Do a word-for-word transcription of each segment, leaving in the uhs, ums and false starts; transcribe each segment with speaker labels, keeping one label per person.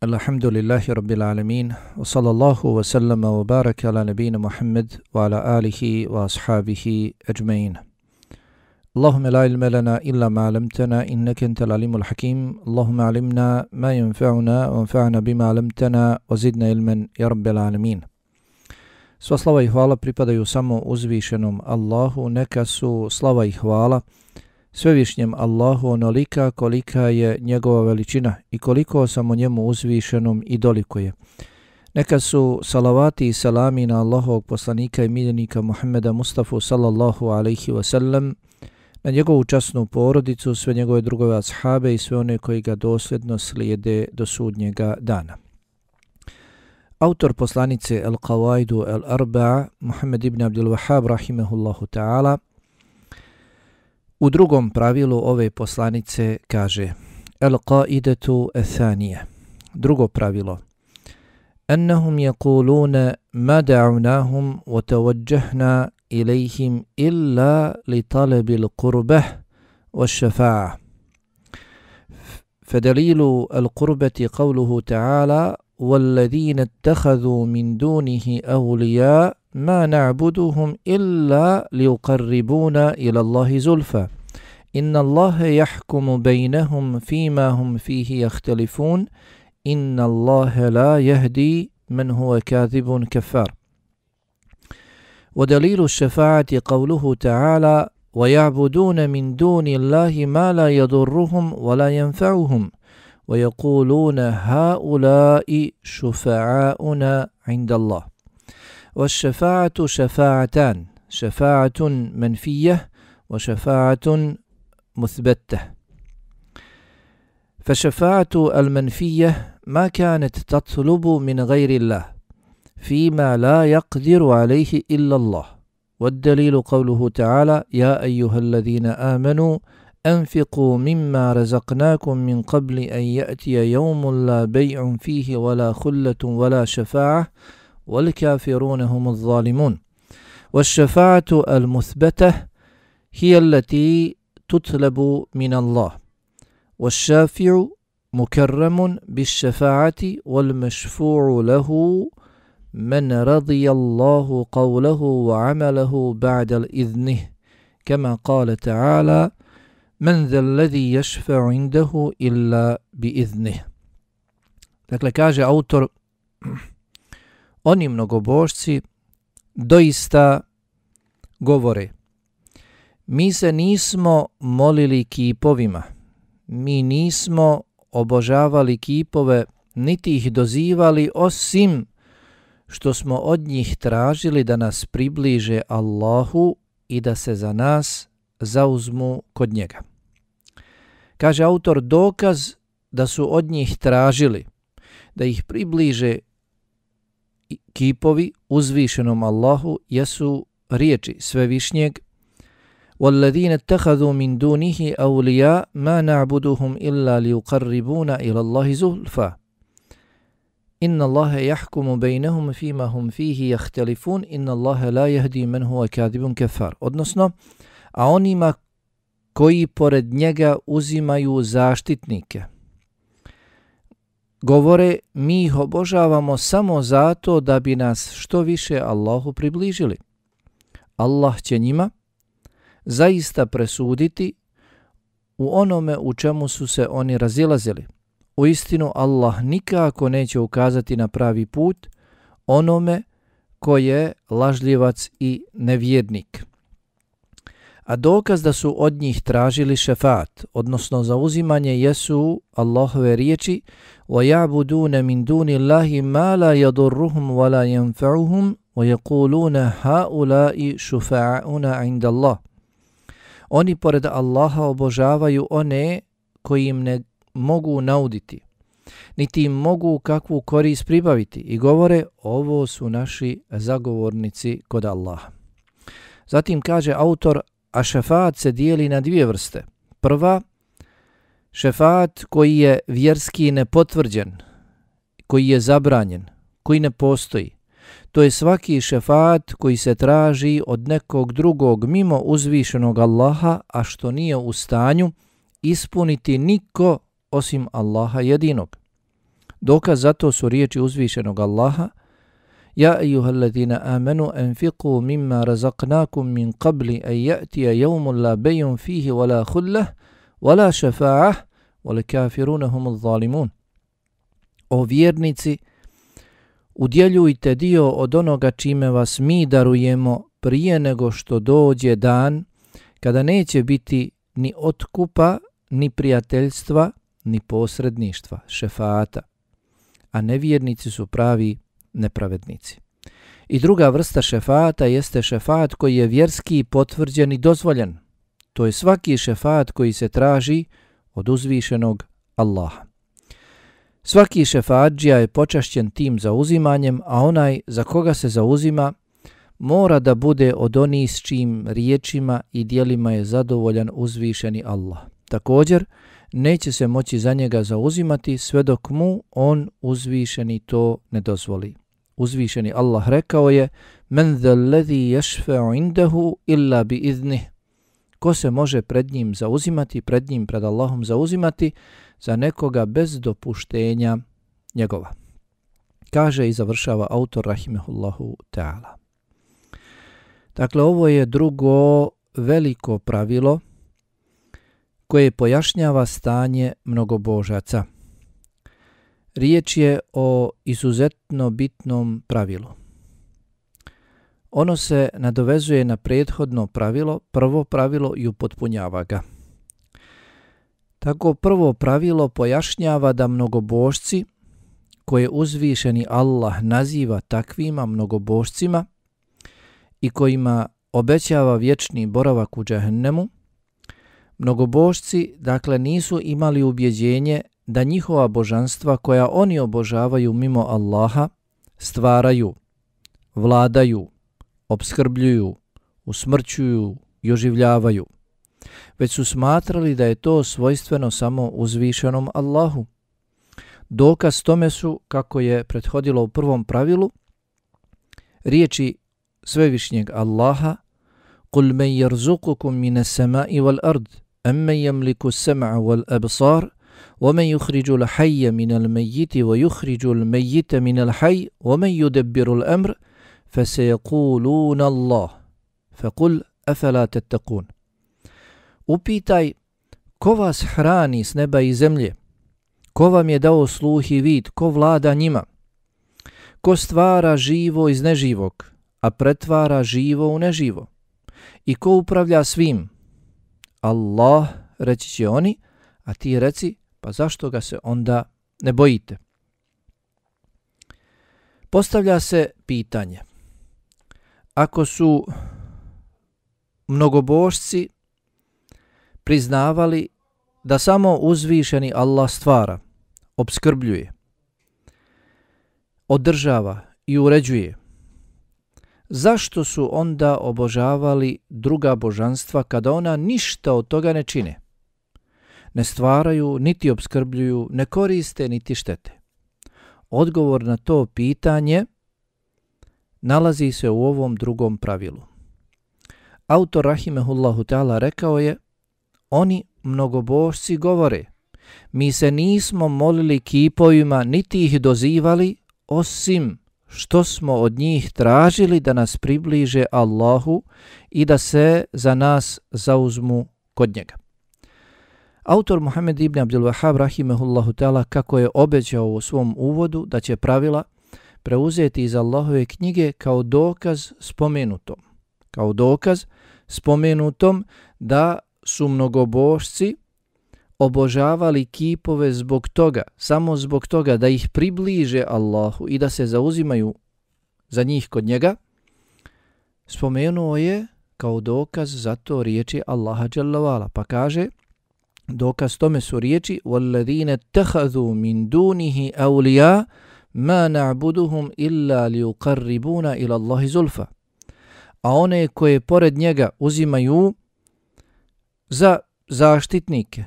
Speaker 1: Alhamdulillahi Rabbil Alamin, wa sallallahu wa sallama wa baraka ala nabina Muhammad wa ala alihi wa ashabihi ajma'in. Allahumma la ilma lana illa ma 'allamtana innaka antal alimul hakim. Allahumma 'allimna ma yanfa'una wa anfa'na bima 'allamtana wa zidna ilman ya Rabbil Alamin. Sva slava i hvala pripadaju samo uzvišenom Allahu, neka su slava i hvala svevišnjem Allahu onolika kolika je njegova veličina i koliko samo njemu uzvišenom i dolikuje. Neka su salavati i salami na Allahovog poslanika i miljenika Muhammeda Mustafa sallallahu alaihi wa sallam, na njegovu časnu porodicu, sve njegove drugove ashabe i sve one koji ga dosljedno slijede do sudnjega dana. Autor poslanice Al-Qawaidu Al-Arba'a, Muhammed ibn Abdul Wahhab rahimehullahu ta'ala, u drugom pravilu ove poslanice kaže: Al-Qaidatu Al-Thanija, drugo pravilo: Annahum yaquluna ma da'unahum wa tawajjahna ilayhim illa li talabil qurbah wa shafa'a. Fadalilu al-qurbati qawluhu ta'ala: وَالَّذِينَ اتَّخَذُوا مِنْ دُونِهِ أَوْلِيَاءَ مَا نَعْبُدُهُمْ إِلَّا لِيُقَرِّبُونَا إِلَى اللَّهِ زُلْفَى إِنَّ اللَّهَ يَحْكُمُ بَيْنَهُمْ فِيمَا هُمْ فِيهِ يَخْتَلِفُونَ إِنَّ اللَّهَ لَا يَهْدِي مَنْ هُوَ كَاذِبٌ كَفَّارٌ. وَدَلِيلُ الشَّفَاعَةِ قَوْلُهُ تَعَالَى وَيَعْبُدُونَ مِنْ دُونِ اللَّهِ مَا لَا يَضُرُّهُمْ وَلَا يَنْفَعُهُمْ وَيَقُولُونَ هَؤُلَاءِ شُفَعَاؤُنَا عِنْدَ اللَّهِ. وَالشَّفَاعَةُ شَفَاعَتَانِ: شَفَاعَةٌ مَنْفِيَّةٌ وَشَفَاعَةٌ مُثْبَتَةٌ. فالشفاعة المنفية ما كانت تطلب من غير الله فيما لا يقدر عليه إلا الله، والدليل قوله تعالى يا أيها الذين آمنوا أنفقوا مما رزقناكم من قبل أن يأتي يوم لا بيع فيه ولا خلة ولا شفاعة والكافرون هم الظالمون. والشفاعة المثبتة هي التي تطلب من الله، والشافع مكرم بالشفاعة والمشفوع له من رضي الله قوله وعمله بعد الإذنه، كما قال تعالى Men ذا الذي يشفع عنده إلا بإذنه. Dakle, kaže autor, oni mnogobožci doista govore: mi se nismo molili kipovima, mi nismo obožavali kipove, niti ih dozivali, osim što smo od njih tražili da nas približe Allahu i da se za nas zauzmu kod njega. Kaže autor, dokaz da su od njih tražili da ih približe kipovi uzvišenom Allahu jesu riječi svevišnjeg: وَالَّذِينَ اتَّخَذُوا مِنْ دُونِهِ أَوْلِيَاءَ مَا نَعْبُدُهُمْ إِلَّا لِيُقَرِّبُونَ إِلَى اللَّهِ زُلْفَى إِنَّ اللَّهَ يَحْكُمُ بَيْنَهُمْ فِيمَا هُمْ فِيهِ يَخْتَلِفُونَ إِنَّ اللَّهَ لَا يَهْدِي مَنْ هُوَ كَاذِبٌ كَفَّارٌ. Odnosno, a onima koji pored njega uzimaju zaštitnike, govore: mi ih obožavamo samo zato da bi nas što više Allahu približili. Allah će njima zaista presuditi u onome u čemu su se oni razilazili. Uistinu Allah nikako neće ukazati na pravi put onome ko je lažljivac i nevjernik. A dokaz da su od njih tražili šefaat, odnosno zauzimanje, jesu Allahove riječi: وَيَعْبُدُونَ مِنْ دُونِ اللَّهِ مَا لَا يَضُرُّهُمْ وَلَا يَنْفَعُهُمْ وَيَقُولُونَ هَؤُلَاءِ شُفَعَاؤُنَا عِنْدَ اللَّهِ. Oni pored Allaha obožavaju one koji im ne mogu nauditi, niti im mogu kakvu korist pribaviti, i govore: ovo su naši zagovornici kod Allaha. Zatim kaže autor, a šefaat se dijeli na dvije vrste. Prva, šefaat koji je vjerski nepotvrđen, koji je zabranjen, koji ne postoji. To je svaki šefaat koji se traži od nekog drugog mimo uzvišenog Allaha, a što nije u stanju ispuniti niko osim Allaha jedinog. Dokaz za to su riječi uzvišenog Allaha: Ja ejuhalladina amanu anfiqu mimma razaqnakum min qabli an ya'tiya yawmun la bay'un fihi wala khullah wala shafa'ah wal kafiruna humuz zalimun. O vjernici, udjeljujte dio od onoga čime vas mi darujemo prije nego što dođe dan kada neće biti ni otkupa, ni prijateljstva, ni posredništva, šefaata, a nevjernici su pravi nepravednici. I druga vrsta šefaata jeste šefaat koji je vjerski potvrđen i dozvoljen. To je svaki šefaat koji se traži od uzvišenog Allaha. Svaki šefaadžija je počašćen tim zauzimanjem, a onaj za koga se zauzima mora da bude od onih s čijim riječima i dijelima je zadovoljan uzvišeni Allah. Također, neće se moći za njega zauzimati sve dok mu on uzvišeni to ne dozvoli. Uzvišeni Allah rekao je: Men zal ladhi yashfa'u indahu illa bi iznih. Ko se može pred njim zauzimati, pred njim, pred Allahom zauzimati za nekoga bez dopuštenja njegova. Kaže i završava autor rahimehullahu ta'ala. Dakle, ovo je drugo veliko pravilo koje pojašnjava stanje mnogobožaca. Riječ je o izuzetno bitnom pravilu. Ono se nadovezuje na prethodno pravilo, prvo pravilo i upotpunjava ga. Tako prvo pravilo pojašnjava da mnogobožci, koje uzvišeni Allah naziva takvima mnogobožcima i kojima obećava vječni boravak u džehennemu, mnogobožci dakle nisu imali ubjeđenje da njihova božanstva koja oni obožavaju mimo Allaha stvaraju, vladaju, opskrbljuju, usmrćuju i oživljavaju, već su smatrali da je to svojstveno samo uzvišenom Allahu. Dokaz tome su, kako je prethodilo u prvom pravilu, riječi svevišnjeg Allaha: Qul men yarzuqukum minas sama'i wal ard amman yamliku as-sam'a wal absar wa man yukhriju al-hayya min al-mayyiti wa yukhriju al-mayyita min al-hayy wa man yudabbiru al-amr فَسَيَقُولُونَ اللَّهُ فَقُلْ أَفَلَا تَتَّقُونَ. Upitaj, ko vas hrani s neba i zemlje? Ko vam je dao sluh i vid? Ko vlada njima? Ko stvara živo iz neživog, a pretvara živo u neživo? I ko upravlja svim? Allah, reći će oni, a ti reci, pa zašto ga se onda ne bojite? Postavlja se pitanje: ako su mnogobožci priznavali da samo uzvišeni Allah stvara, opskrbljuje, održava i uređuje, zašto su onda obožavali druga božanstva kada ona ništa od toga ne čine? Ne stvaraju, niti opskrbljuju, ne koriste, niti štete. Odgovor na to pitanje nalazi se u ovom drugom pravilu. Autor rahimehullahu ta'ala rekao je: oni mnogobožci govore: mi se nismo molili kipovima niti ih dozivali, osim što smo od njih tražili da nas približe Allahu i da se za nas zauzmu kod njega. Autor Muhammed ibn Abdul Wahhab rahimehullahu ta'ala, kako je obećao u svom uvodu da će pravila preuzeti iz Allahove knjige kao dokaz spomenutom. Kao dokaz spomenutom da su mnogobožci obožavali kipove zbog toga, samo zbog toga da ih približe Allahu i da se zauzimaju za njih kod njega, spomenuo je kao dokaz za to riječi Allaha dželle vala, pa kaže: dokaz tome su riječi: وَالَّذِينَ اتَّخَذُوا مِنْ دُونِهِ أَوْلِيَا مَا نَعْبُدُهُمْ إِلَّا لِيُقَرِّبُونَ إِلَى اللَّهِ زُلْفَ. A one koje pored njega uzimaju za zaštitnike,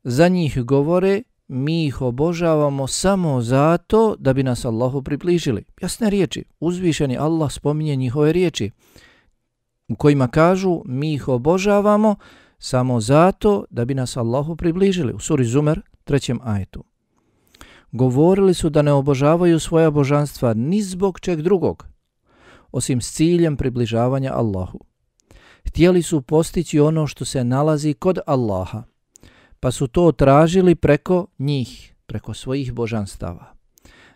Speaker 1: za njih govore: mi ih obožavamo samo zato da bi nas Allahu približili. Jasne riječi. Uzvišeni Allah spominje njihove riječi u kojima kažu: mi ih obožavamo samo zato da bi nas Allahu približili. U suri Zumer, trećem ajetu. Govorili su da ne obožavaju svoja božanstva ni zbog čeg drugog, osim s ciljem približavanja Allahu. Htjeli su postići ono što se nalazi kod Allaha, pa su to tražili preko njih, preko svojih božanstava.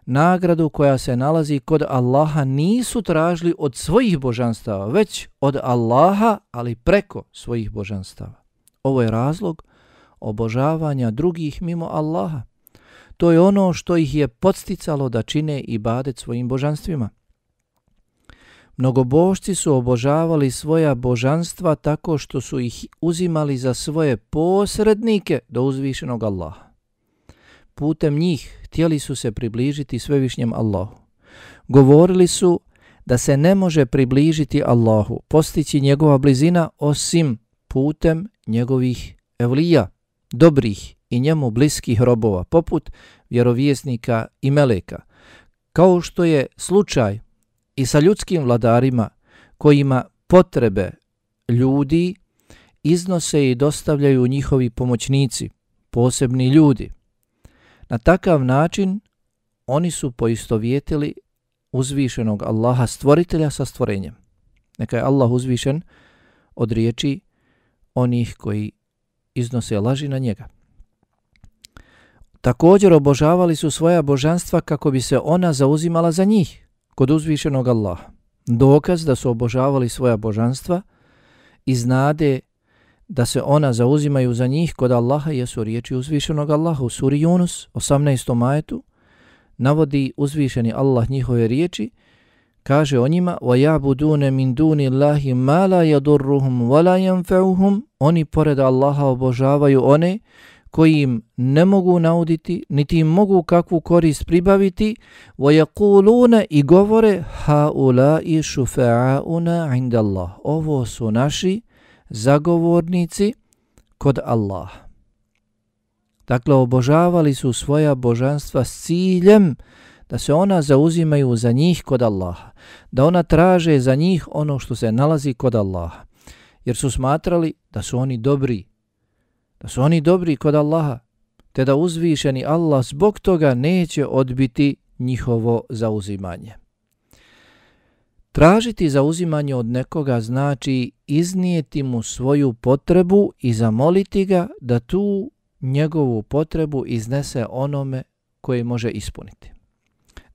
Speaker 1: Nagradu koja se nalazi kod Allaha nisu tražili od svojih božanstava, već od Allaha, ali preko svojih božanstava. Ovo je razlog obožavanja drugih mimo Allaha. To je ono što ih je podsticalo da čine ibadet svojim božanstvima. Mnogobožci su obožavali svoja božanstva tako što su ih uzimali za svoje posrednike do uzvišenog Allaha. Putem njih htjeli su se približiti svevišnjem Allahu. Govorili su da se ne može približiti Allahu, postići njegova blizina osim putem njegovih evlija, dobrih i njemu bliskih robova, poput vjerovjesnika i meleka, kao što je slučaj i sa ljudskim vladarima kojima potrebe ljudi iznose i dostavljaju njihovi pomoćnici, posebni ljudi. Na takav način oni su poistovjetili uzvišenog Allaha stvoritelja sa stvorenjem. Neka je Allah uzvišen od riječi onih koji iznose laži na njega. Također obožavali su svoja božanstva kako bi se ona zauzimala za njih kod uzvišenog Allaha. Dokaz da su obožavali svoja božanstva iz nade da se ona zauzimaju za njih kod Allaha jesu riječi uzvišenog Allaha u suri Yunus, osamnaestom ajetu, navodi uzvišeni Allah njihove riječi, kaže o njima: وَيَعْبُدُونَ مِنْ دُونِ اللَّهِ مَا لَا يَضُرُّهُمْ وَلَا يَنْفَعُهُمْ. Oni pored Allaha obožavaju one koji im ne mogu nauditi, niti im mogu kakvu korist pribaviti. وَيَقُولُونَ i govore: هَؤُلَاءِ شُفَعَاؤُنَا عِنْدَ اللَّهِ. Ovo su naši zagovornici kod Allaha. Dakle, obožavali su svoja božanstva s ciljem da se ona zauzimaju za njih kod Allaha, da ona traže za njih ono što se nalazi kod Allaha, jer su smatrali da su oni dobri, da su oni dobri kod Allaha, te da uzvišeni Allah zbog toga neće odbiti njihovo zauzimanje. Tražiti zauzimanje od nekoga znači iznijeti mu svoju potrebu i zamoliti ga da tu njegovu potrebu iznese onome koji može ispuniti.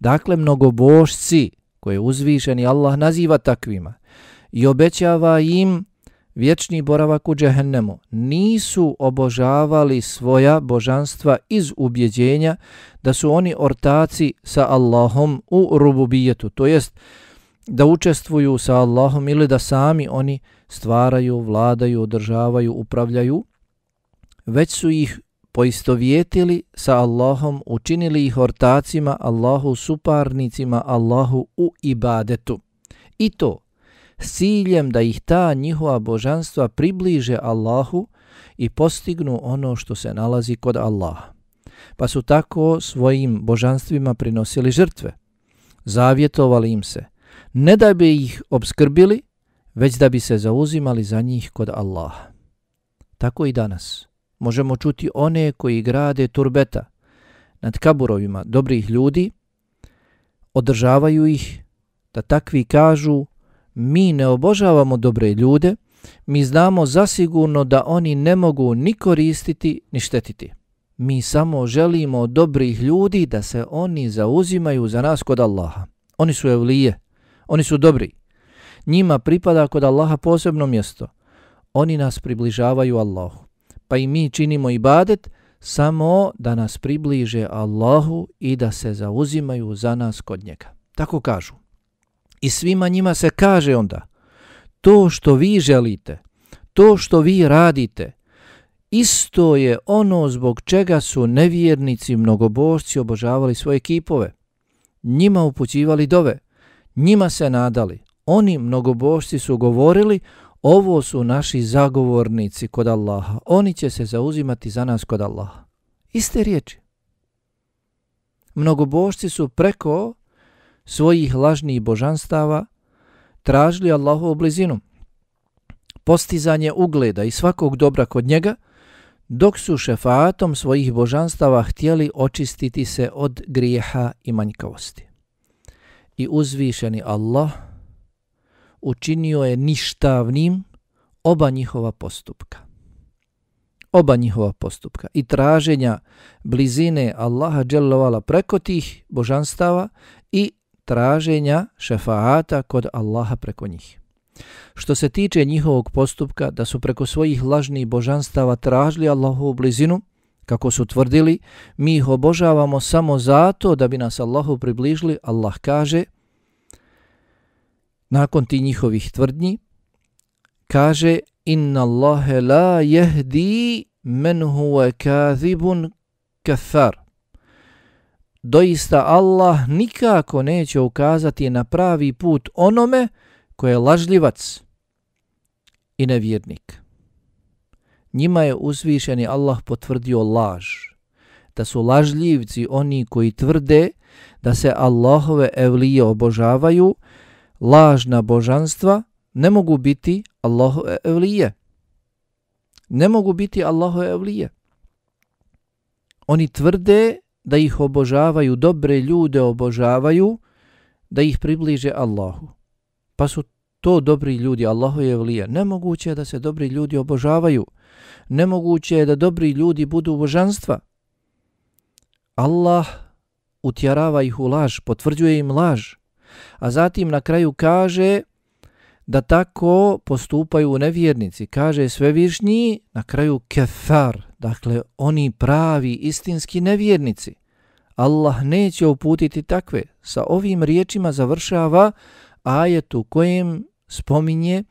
Speaker 1: Dakle, mnogobožci koje uzvišeni Allah naziva takvima i obećava im vječni boravak u džehennemu, nisu obožavali svoja božanstva iz ubjeđenja da su oni ortaci sa Allahom u rububijetu, to jest da učestvuju sa Allahom ili da sami oni stvaraju, vladaju, održavaju, upravljaju, već su ih poistovjetili sa Allahom, učinili ih ortacima Allahu, suparnicima Allahu u ibadetu. I to s ciljem da ih ta njihova božanstva približe Allahu i postignu ono što se nalazi kod Allaha. Pa su tako svojim božanstvima prinosili žrtve, zavjetovali im se, ne da bi ih obskrbili, već da bi se zauzimali za njih kod Allaha. Tako i danas možemo čuti one koji grade turbeta nad kaburovima dobrih ljudi, održavaju ih, da takvi kažu: mi ne obožavamo dobre ljude, mi znamo zasigurno da oni ne mogu ni koristiti ni štetiti. Mi samo želimo od dobrih ljudi da se oni zauzimaju za nas kod Allaha. Oni su evlije, oni su dobri. Njima pripada kod Allaha posebno mjesto. Oni nas približavaju Allahu. Pa i mi činimo ibadet samo da nas približe Allahu i da se zauzimaju za nas kod njega. Tako kažu. I svima njima se kaže onda: to što vi želite, to što vi radite, isto je ono zbog čega su nevjernici mnogobožci obožavali svoje kipove, njima upućivali dove, njima se nadali. Oni mnogobožci su govorili: ovo su naši zagovornici kod Allaha, oni će se zauzimati za nas kod Allaha. Iste riječi. Mnogobožci su preko svojih lažnih božanstava tražili Allahovu blizinu, postizanje ugleda i svakog dobra kod njega, dok su šefaatom svojih božanstava htjeli očistiti se od grijeha i manjkavosti. I uzvišeni Allah učinio je ništavnim oba njihova postupka. Oba njihova postupka i traženja blizine Allaha dželle vala preko tih božanstava i traženja šefaata kod Allaha preko njih. Što se tiče njihovog postupka, da su preko svojih lažnih božanstava tražili Allahovu blizinu, kako su tvrdili, mi ih obožavamo samo zato da bi nas Allahu približili, Allah kaže, nakon tih njihovih tvrdnji, kaže, inna Allahe la jehdi men huwa kadhibun kathar. Doista Allah nikako neće ukazati na pravi put onome ko je lažljivac i nevjernik. Njima je uzvišeni Allah potvrdio laž, da su lažljivci oni koji tvrde da se Allahove evlije obožavaju, lažna božanstva ne mogu biti Allahove evlije. Ne mogu biti Allahove evlije. Oni tvrde da ih obožavaju, dobre ljude obožavaju, da ih približe Allahu. Pa su to dobri ljudi, Allahove evlije. Nemoguće je da se dobri ljudi obožavaju. Nemoguće je da dobri ljudi budu božanstva. Allah utjerava ih u laž, potvrđuje im laž. A zatim na kraju kaže da tako postupaju nevjernici. Kaže svevišnji, na kraju kefar, dakle oni pravi, istinski nevjernici. Allah neće uputiti takve. Sa ovim riječima završava ajet u kojem spominje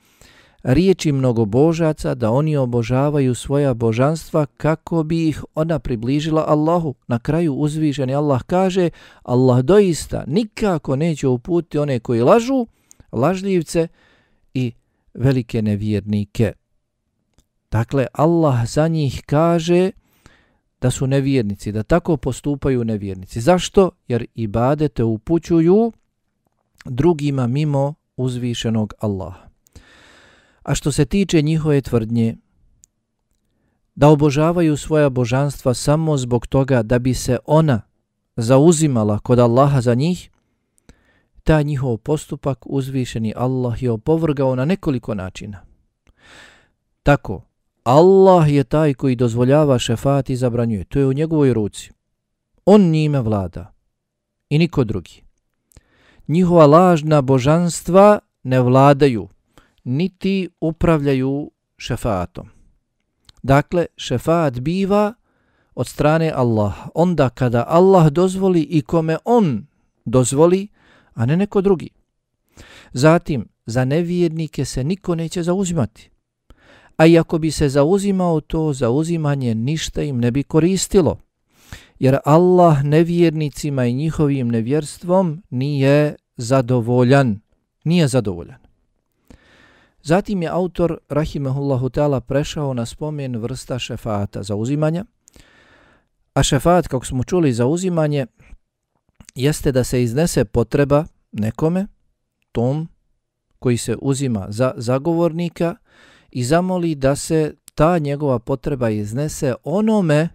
Speaker 1: riječi mnogobožaca da oni obožavaju svoja božanstva kako bi ih ona približila Allahu. Na kraju uzvišeni Allah kaže, Allah doista nikako neće uputiti one koji lažu, lažljivce i velike nevjernike. Dakle, Allah za njih kaže da su nevjernici, da tako postupaju nevjernici. Zašto? Jer ibadete upućuju drugima mimo uzvišenog Allaha. A što se tiče njihove tvrdnje da obožavaju svoja božanstva samo zbog toga da bi se ona zauzimala kod Allaha za njih, taj njihov postupak uzvišeni Allah je opovrgao na nekoliko načina. Tako, Allah je taj koji dozvoljava šefaat i zabranjuje. To je u njegovoj ruci. On njime vlada i niko drugi. Njihova lažna božanstva ne vladaju, niti upravljaju šefaatom. Dakle, šefaat biva od strane Allaha. Onda kada Allah dozvoli i kome on dozvoli, a ne neko drugi. Zatim, za nevjernike se niko neće zauzimati. A i ako bi se zauzimao, to zauzimanje ništa im ne bi koristilo. Jer Allah nevjernicima i njihovim nevjerstvom nije zadovoljan. Nije zadovoljan. Zatim je autor, rahimehullahu ta'ala, prešao na spomen vrsta šefaata, zauzimanja. A šefaat, kako smo čuli, zauzimanje jeste da se iznese potreba nekome, tom koji se uzima za zagovornika, i zamoli da se ta njegova potreba iznese onome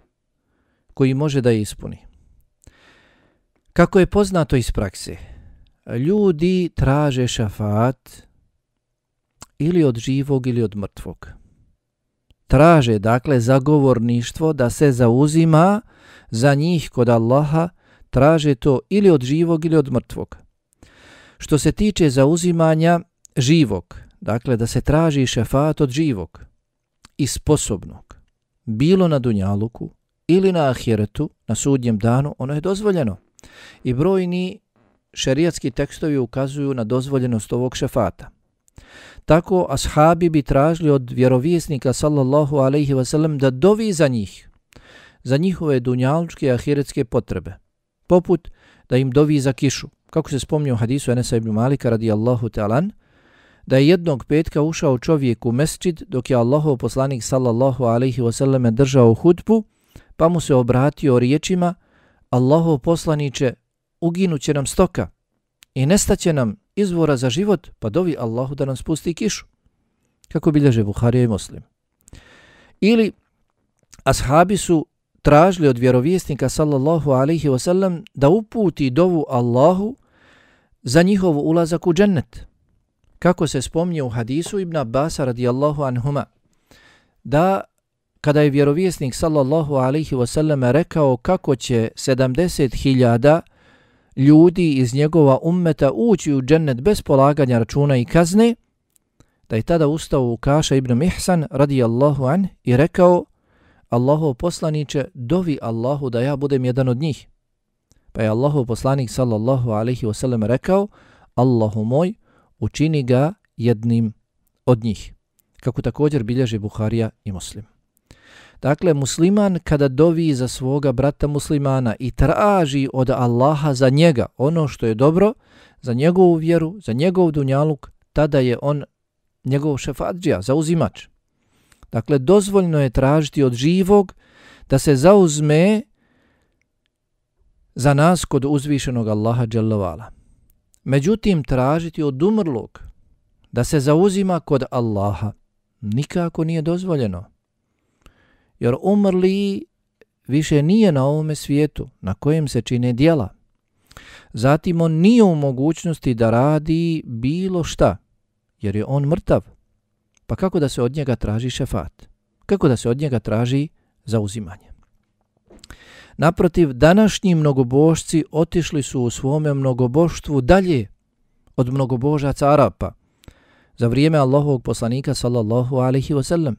Speaker 1: koji može da je ispuni. Kako je poznato iz prakse, ljudi traže šefaat ili od živog ili od mrtvog. Traže, dakle, zagovorništvo da se zauzima za njih kod Allaha, traže to ili od živog ili od mrtvog. Što se tiče zauzimanja živog, dakle da se traži šefaat od živog i sposobnog, bilo na dunjaluku ili na ahiretu, na sudnjem danu, ono je dozvoljeno. I brojni šerijatski tekstovi ukazuju na dozvoljenost ovog šefata. Tako ashabi bi tražili od vjerovjesnika sallallahu alejhi ve sellem da dovi za njih, za njihove dunjalučke i ahiretske potrebe, poput da im dovi za kišu. Kako se spominje u hadisu Enesa ibn Malika radijallahu ta'alan, da je jednog petka ušao čovjek u mesdžid dok je Allahov poslanik sallallahu alejhi ve sellem držao hudbu, pa mu se obratio riječima: Allahov poslanice, uginuće nam stoka i nestaće nam izvora za život, pa dovi Allahu da nam spusti kišu. Kako bilježe Buharija i Muslim. Ili ashabi su tražili od vjerovjesnika sallallahu alaihi wasallam da uputi dovu Allahu za njihov ulazak u džennet. Kako se spominje u hadisu Ibn Abbasa radijallahu anhuma, da kada je vjerovjesnik sallallahu alaihi wasallam rekao kako će sedamdeset hiljada ljudi iz njegova ummeta ući u džennet bez polaganja računa i kazne, da je tada ustao Ukaša ibn Mihsan radijallahu anh i rekao: Allahov poslaniče, dovi Allahu da ja budem jedan od njih. Pa je Allahov poslanik sallallahu alaihi wasallam rekao: Allahu moj, učini ga jednim od njih. Kako također bilježi Buharija i Muslim. Dakle, musliman kada dovi za svoga brata muslimana i traži od Allaha za njega ono što je dobro, za njegovu vjeru, za njegov dunjaluk, tada je on njegov šefadžija, zauzimač. Dakle, dozvoljno je tražiti od živog da se zauzme za nas kod uzvišenog Allaha dželle vala. Međutim, tražiti od umrlog da se zauzima kod Allaha nikako nije dozvoljeno. Jer umrli više nije na ovome svijetu na kojem se čine djela. Zatim on nije u mogućnosti da radi bilo šta, jer je on mrtav. Pa kako da se od njega traži šefat? Kako da se od njega traži zauzimanje? Naprotiv, današnji mnogobožci otišli su u svome mnogoboštvu dalje od mnogobožaca Arapa za vrijeme Allahovog poslanika sallallahu alaihi wasallam.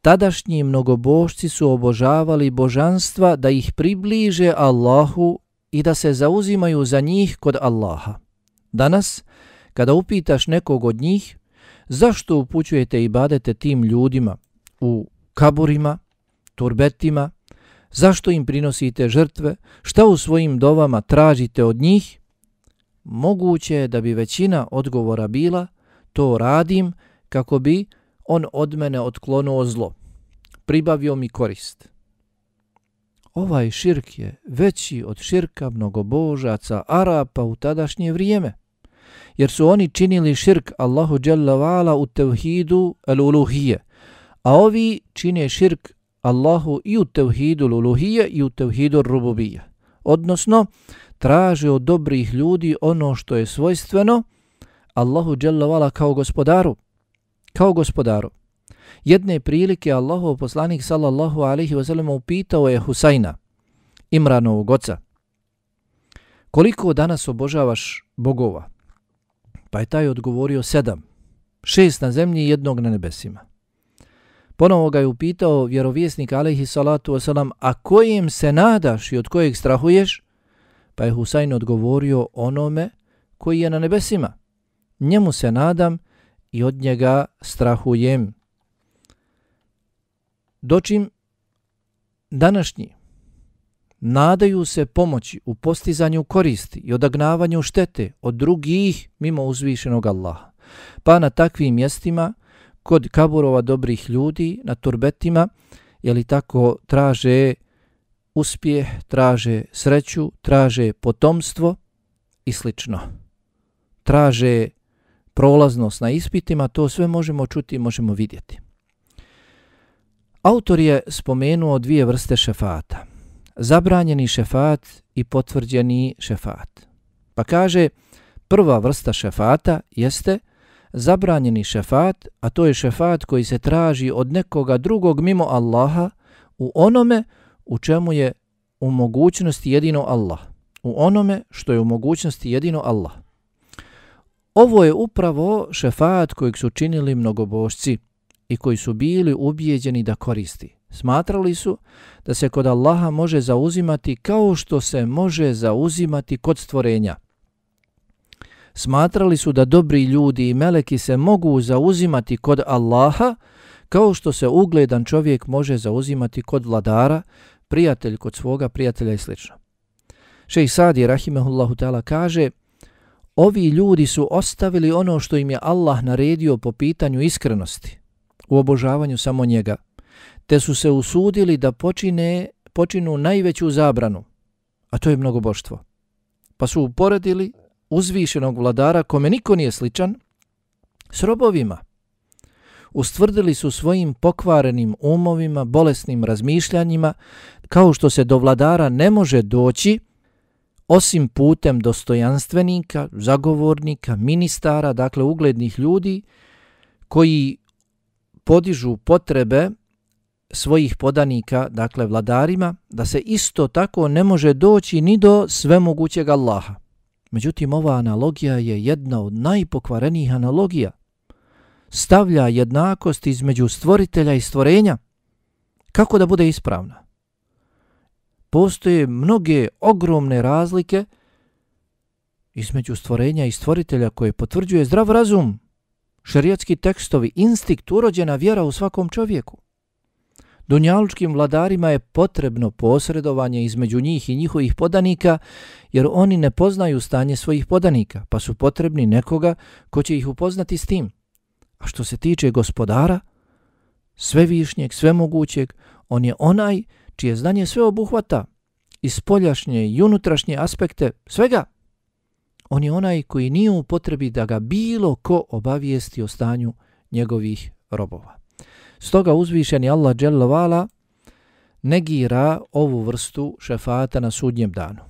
Speaker 1: Tadašnji mnogobožci su obožavali božanstva da ih približe Allahu i da se zauzimaju za njih kod Allaha. Danas, kada upitaš nekog od njih zašto upućujete ibadete tim ljudima u kaburima, turbetima, zašto im prinosite žrtve, šta u svojim dovama tražite od njih, moguće je da bi većina odgovora bila: to radim kako bi on od mene otklonuo zlo, pribavio mi korist. Ovaj širk je veći od širka mnogobožaca Arapa u tadašnje vrijeme, jer su oni činili širk Allahu dželle vala u tevhidu al-uluhije, a ovi čine širk Allahu i u tevhidu al-uluhije i u tevhidu ar-rububije. Odnosno, traže od dobrih ljudi ono što je svojstveno Allahu dželle vala kao gospodaru. Kao gospodaru. Jedne prilike Allahov poslanik sallallahu alaihi wasallam upitao je Husajna, Imranovog oca: koliko danas obožavaš bogova? Pa je taj odgovorio: sedam. Šest na zemlji i jednog na nebesima. Ponovo ga je upitao vjerovjesnik alaihi salatu wasalam: a kojem se nadaš i od kojeg strahuješ? Pa je Husajn odgovorio: onome koji je na nebesima. Njemu se nadam i od njega strahujem. Dočim današnji nadaju se pomoći u postizanju koristi i odagnavanju štete od drugih mimo uzvišenog Allaha. Pa na takvim mjestima, kod kaburova dobrih ljudi, na turbetima, jeli tako, traže uspjeh, traže sreću, traže potomstvo i slično. Traže prolaznost na ispitima, to sve možemo čuti i možemo vidjeti. Autor je spomenuo dvije vrste šefata. Zabranjeni šefat i potvrđeni šefat. Pa kaže, prva vrsta šefata jeste zabranjeni šefat, a to je šefat koji se traži od nekoga drugog mimo Allaha u onome u čemu je u mogućnosti jedino Allah. U onome što je u mogućnosti jedino Allah. Ovo je upravo šefat kojeg su činili mnogobožci i koji su bili ubijeđeni da koristi. Smatrali su da se kod Allaha može zauzimati kao što se može zauzimati kod stvorenja. Smatrali su da dobri ljudi i meleki se mogu zauzimati kod Allaha kao što se ugledan čovjek može zauzimati kod vladara, prijatelj kod svoga prijatelja i sl. Šejh Sadi rahimehullahu ta'ala kaže: ovi ljudi su ostavili ono što im je Allah naredio po pitanju iskrenosti u obožavanju samo njega, te su se usudili da počine, počinu najveću zabranu, a to je mnogoboštvo. Pa su uporedili uzvišenog vladara kome niko nije sličan s robovima. ustvrdili su svojim pokvarenim umovima, bolesnim razmišljanjima, kao što se do vladara ne može doći osim putem dostojanstvenika, zagovornika, ministara, dakle uglednih ljudi koji podižu potrebe svojih podanika, dakle vladarima, da se isto tako ne može doći ni do svemogućeg Allaha. Međutim, ova analogija je jedna od najpokvarenijih analogija. Stavlja jednakost između stvoritelja i stvorenja. Kako da bude ispravna? Postoje mnoge ogromne razlike između stvorenja i stvoritelja koje potvrđuje zdrav razum, šerijatski tekstovi, instinkt, urođena vjera u svakom čovjeku. Dunjalučkim vladarima je potrebno posredovanje između njih i njihovih podanika, jer oni ne poznaju stanje svojih podanika, pa su potrebni nekoga ko će ih upoznati s tim. A što se tiče gospodara, svevišnjeg, svemogućeg, on je onaj čije znanje sve obuhvata, i spoljašnje i unutrašnje aspekte svega. On je onaj koji nije u potrebi da ga bilo ko obavijesti o stanju njegovih robova. Stoga uzvišeni Allah dželle vala negira ovu vrstu šefata na sudnjem danu.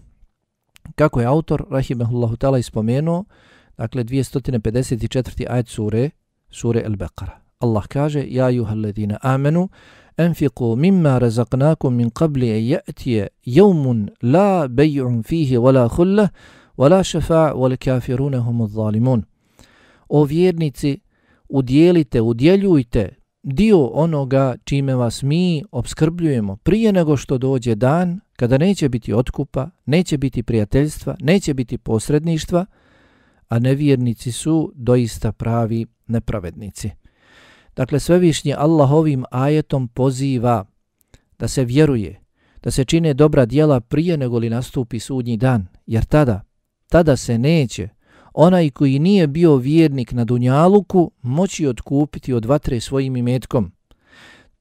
Speaker 1: Kako je autor rahimehullahu ta'ala ispomenuo, dakle dvjesto pedeset četvrti ajet sure, sure Al-Baqara. Allah kaže: Ja ayyuhalladhina amanu anfiqu mimma razaqnakum min qabli an ya'tiya yawmun la bay'un fihi wala khullah wala shafa' wal kafirun humuz zalimun. O vjernici, udjelite, udjeljujte dio onoga čime vas mi opskrbljujemo prije nego što dođe dan kada neće biti otkupa, neće biti prijateljstva, neće biti posredništva, a nevjernici su doista pravi nepravednici. Dakle, svevišnji Allah ovim ajetom poziva da se vjeruje, da se čine dobra djela prije nego li nastupi sudnji dan, jer tada, tada se neće onaj koji nije bio vjernik na dunjaluku moći otkupiti od vatre svojim imetkom.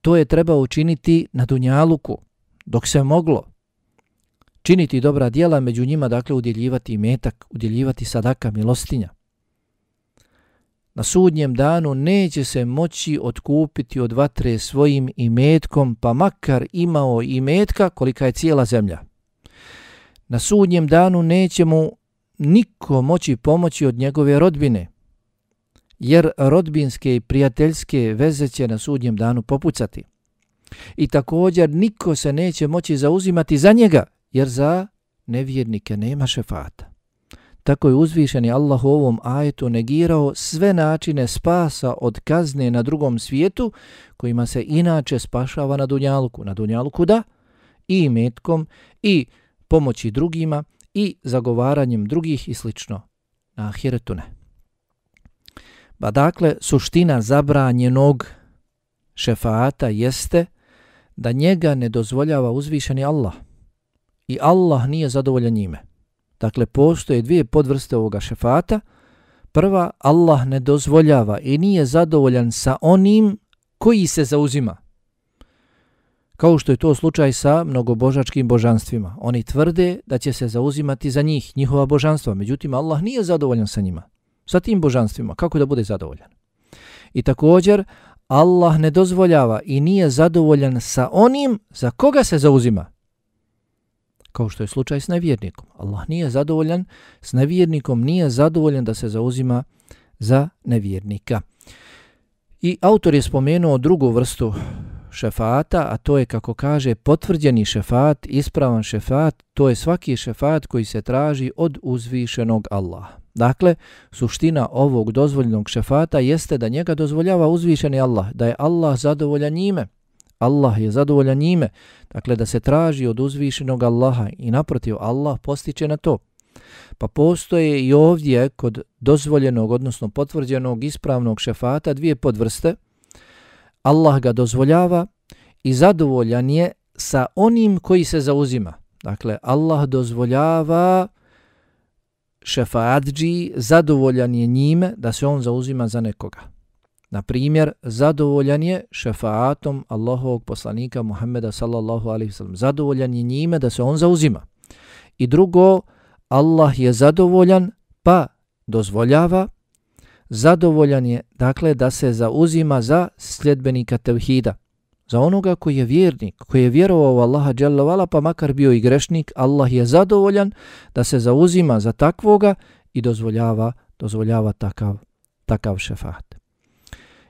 Speaker 1: To je trebao učiniti na dunjaluku, dok se moglo činiti dobra djela, među njima dakle udjeljivati imetak, udjeljivati sadaka, milostinja. Na sudnjem danu neće se moći otkupiti od vatre svojim imetkom, pa makar imao imetka kolika je cijela zemlja. Na sudnjem danu neće mu niko moći pomoći od njegove rodbine, jer rodbinske i prijateljske veze će na sudnjem danu popucati. I također niko se neće moći zauzimati za njega, jer za nevjernike nema šefata. Tako je uzvišeni Allah u ovom ajetu negirao sve načine spasa od kazne na drugom svijetu, kojima se inače spašava na dunjaluku. Na dunjaluku da, i imetkom, i pomoći drugima, i zagovaranjem drugih i slično. Na ahiretu ne. Ba dakle, suština zabranjenog šefata jeste da njega ne dozvoljava uzvišeni Allah. I Allah nije zadovoljan njime. Dakle, postoje dvije podvrste ovoga šefata. Prva, Allah ne dozvoljava i nije zadovoljan sa onim koji se zauzima. Kao što je to slučaj sa mnogobožačkim božanstvima. Oni tvrde da će se zauzimati za njih, njihova božanstva. Međutim, Allah nije zadovoljan sa njima. Sa tim božanstvima. Kako da bude zadovoljan? I također, Allah ne dozvoljava i nije zadovoljan sa onim za koga se zauzima. Kao što je slučaj s nevjernikom. Allah nije zadovoljan s nevjernikom, nije zadovoljan da se zauzima za nevjernika. I autor je spomenuo drugu vrstu šefata, a to je, kako kaže, potvrđeni šefat, ispravan šefat, to je svaki šefat koji se traži od uzvišenog Allaha. Dakle, suština ovog dozvoljenog šefata jeste da njega dozvoljava uzvišeni Allah, da je Allah zadovoljan njime. Allah je zadovoljan njime, dakle da se traži od uzvišenog Allaha i naprotiv Allah postiče na to. Pa postoje i ovdje kod dozvoljenog, odnosno potvrđenog ispravnog šefata dvije podvrste. Allah ga dozvoljava i zadovoljan je sa onim koji se zauzima. Dakle, Allah dozvoljava šefaatđi, zadovoljan je njime da se on zauzima za nekoga. Na primjer, zadovoljan je šefaatom Allahovog poslanika Muhammeda sallallahu alaihi wasallam. Zadovoljan je njime da se on zauzima. I drugo, Allah je zadovoljan pa dozvoljava zadovoljan je, dakle, da se zauzima za sljedbenika tevhida, za onoga koji je vjernik, koji je vjerovao u Allaha dželle ve ala, pa makar bio i grešnik. Allah je zadovoljan da se zauzima za takvoga i dozvoljava, dozvoljava takav, takav šefaat.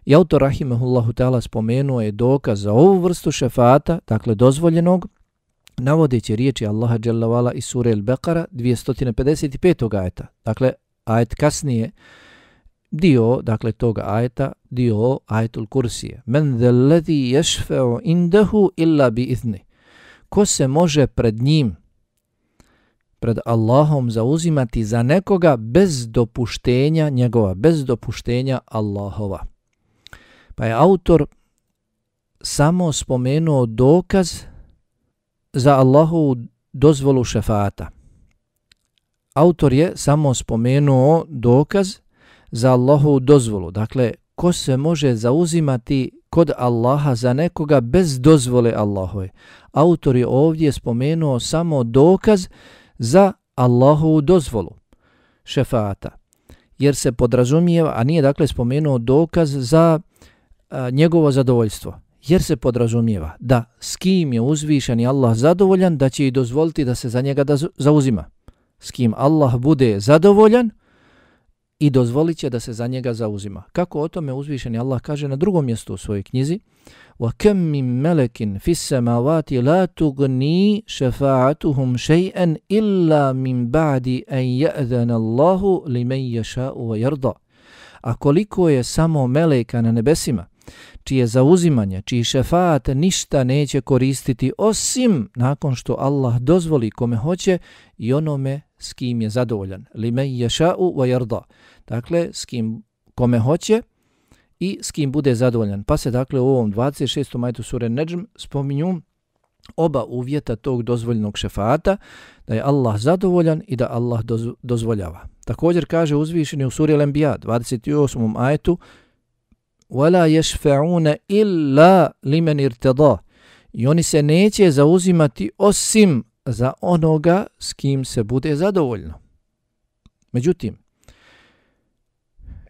Speaker 1: I autor rahimehullahu ta'ala spomenuo je dokaz za ovu vrstu šefaata, dakle dozvoljenog, navodeći riječi Allaha dželle ve ala iz sure Al-Beqara dvjesto pedeset pet. ajeta. Dakle, ajet kasnije, dio, dakle, toga ajeta, dio ajetul kursije. Men zellezi yashfa'u indahu illa bi izni. Ko se može pred njim, pred Allahom zauzimati za nekoga bez dopuštenja njegova, bez dopuštenja Allahova. Pa je autor samo spomenuo dokaz za Allahovu dozvolu šefaata. Autor je samo spomenuo dokaz za Allahovu dozvolu. Dakle, ko se može zauzimati kod Allaha za nekoga bez dozvole Allahove. Autor je ovdje spomenuo samo dokaz za Allahovu dozvolu šefaata. Jer se podrazumijeva, a nije dakle spomenuo dokaz za a, njegovo zadovoljstvo. Jer se podrazumijeva da s kim je uzvišeni Allah zadovoljan, da će i dozvoliti da se za njega da zauzima. S kim Allah bude zadovoljan i dozvolit će da se za njega zauzima. Kako o tome uzvišeni Allah kaže na drugom mjestu u svojoj knjizi: وَكَمْ مِنْ مَلَكٍ فِي السَّمَاوَاتِ لَا تُغْنِي شَفَاعَتُهُمْ شَيْئًا إِلَّا مِنْ بَعْدِ أَنْ يَأْذَنَ اللَّهُ لِمَنْ يَشَاءُ وَيَرْضَى. A koliko je samo meleka na nebesima, čije zauzimanje, čiji šefaat ništa neće koristiti osim nakon što Allah dozvoli kome hoće i onome s kim je zadovoljan. Limen yasha'u wa yarda. Dakle, s kim kome hoće i s kim bude zadovoljan. Pa se dakle u ovom dvadeset šestom ajetu sure Nedžm spominju oba uvjeta tog dozvoljenog šefaata, da je Allah zadovoljan i da Allah doz, dozvoljava. Također kaže uzvišeni u suri Al-Anbiya dvadeset osmom ajetu: وَلَا يَشْفَعُونَ إِلَّا لِمَنْ إِرْتَضَى. I oni se neće zauzimati osim za onoga s kim se bude zadovoljno. Međutim,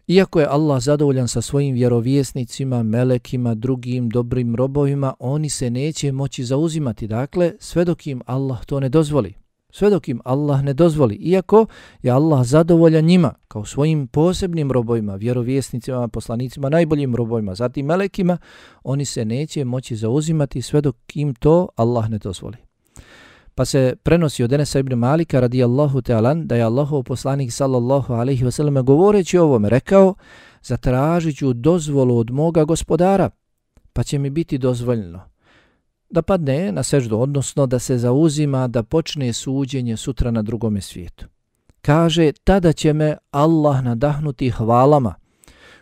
Speaker 1: iako je Allah zadovoljan sa svojim vjerovjesnicima, melekima, drugim dobrim robovima, oni se neće moći zauzimati. Dakle, sve dok im Allah to ne dozvoli. Sve dok im Allah ne dozvoli. Iako je Allah zadovoljan njima, kao svojim posebnim robovima, vjerovjesnicima, poslanicima, najboljim robovima, zatim melekima, oni se neće moći zauzimati sve dok im to Allah ne dozvoli. Pa se prenosi od Enesa ibn Malika radijallahu ta'ala da je Allahov poslanik sallallahu alaihi wa sallam govoreći o ovome rekao: zatražit ću dozvolu od moga gospodara, pa će mi biti dozvoljeno da padne na seždu, odnosno da se zauzima da počne suđenje sutra na drugome svijetu. Kaže, tada će me Allah nadahnuti hvalama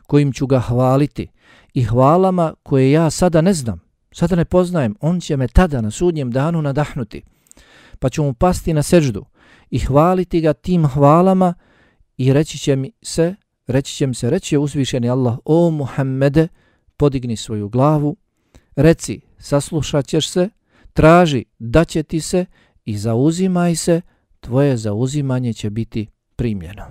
Speaker 1: kojim ću ga hvaliti i hvalama koje ja sada ne znam, sada ne poznajem. On će me tada na sudnjem danu nadahnuti, pa ću mu pasti na seždu i hvaliti ga tim hvalama i reći će mi se, reći će mi se, reći će uzvišeni Allah: o Muhammede, podigni svoju glavu, reci, saslušat ćeš se, traži, daće ti se i zauzimaj se, tvoje zauzimanje će biti primljeno.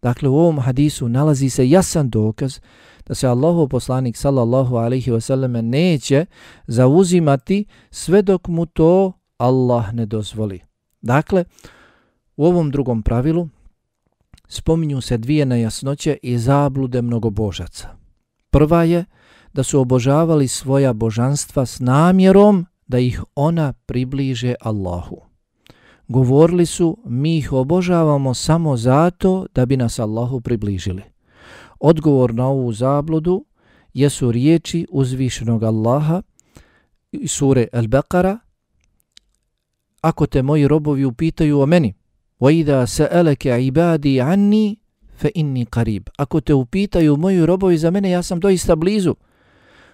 Speaker 1: Dakle, u ovom hadisu nalazi se jasan dokaz da se Allahov poslanik sallallahu alaihi wa sallam neće zauzimati sve dok mu to Allah ne dozvoli. Dakle, u ovom drugom pravilu spominju se dvije nejasnoće i zablude mnogobožaca. Prva je da su obožavali svoja božanstva s namjerom da ih ona približe Allahu. Govorili su, mi ih obožavamo samo zato da bi nas Allahu približili. Odgovor na ovu zabludu jesu riječi uzvišenog Allaha iz sure Al-Beqara: ako te moji robovi upitaju o meni, وَإِذَا سَأَلَكَ عِبَادِي عَنِّي فَإِنِّي قَرِيب. Ako te upitaju moji robovi za mene, ja sam doista blizu.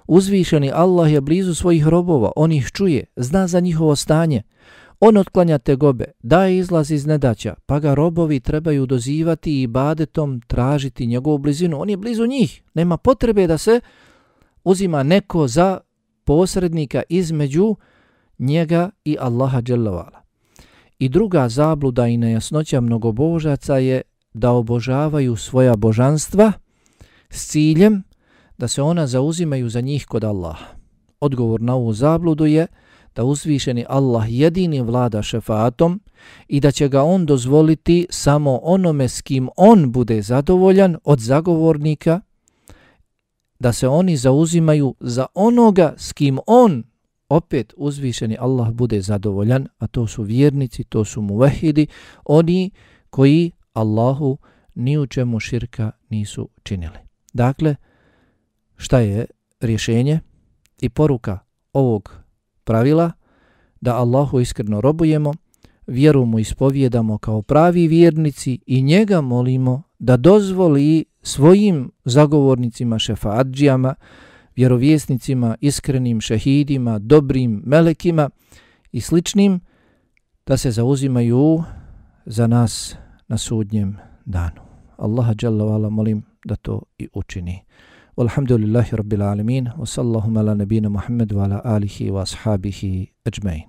Speaker 1: Uzvišeni Allah je blizu svojih robova, on ih čuje, zna za njihovo stanje. On otklanja tegobe, daje izlaz iz nedaća, pa ga robovi trebaju dozivati i ibadetom tražiti njegovu blizinu. On je blizu njih, nema potrebe da se uzima neko za posrednika između njega i Allaha dželle ve ala. I druga zabluda i nejasnoća mnogobožaca je da obožavaju svoja božanstva s ciljem da se ona zauzimaju za njih kod Allaha. Odgovor na ovu zabludu je da uzvišeni Allah jedini vlada šefaatom i da će ga on dozvoliti samo onome s kim on bude zadovoljan od zagovornika, da se oni zauzimaju za onoga s kim on, opet uzvišeni Allah, bude zadovoljan, a to su vjernici, to su muvahidi, oni koji Allahu ni u čemu širka nisu činili. Dakle, šta je rješenje i poruka ovog pravila? Da Allahu iskreno robujemo, vjeru mu ispovjedamo kao pravi vjernici i njega molimo da dozvoli svojim zagovornicima, šefaadžijama, vjerovjesnicima, iskrenim šehidima, dobrim melekima i sličnim da se zauzimaju za nas na sudnjem danu. Allaha dželle ve ala molim da to i učini. Walhamdulillahi rabbil alamin wa sallallahu ala nabina Muhammad wa ala alihi wa ashabihi ajma'in.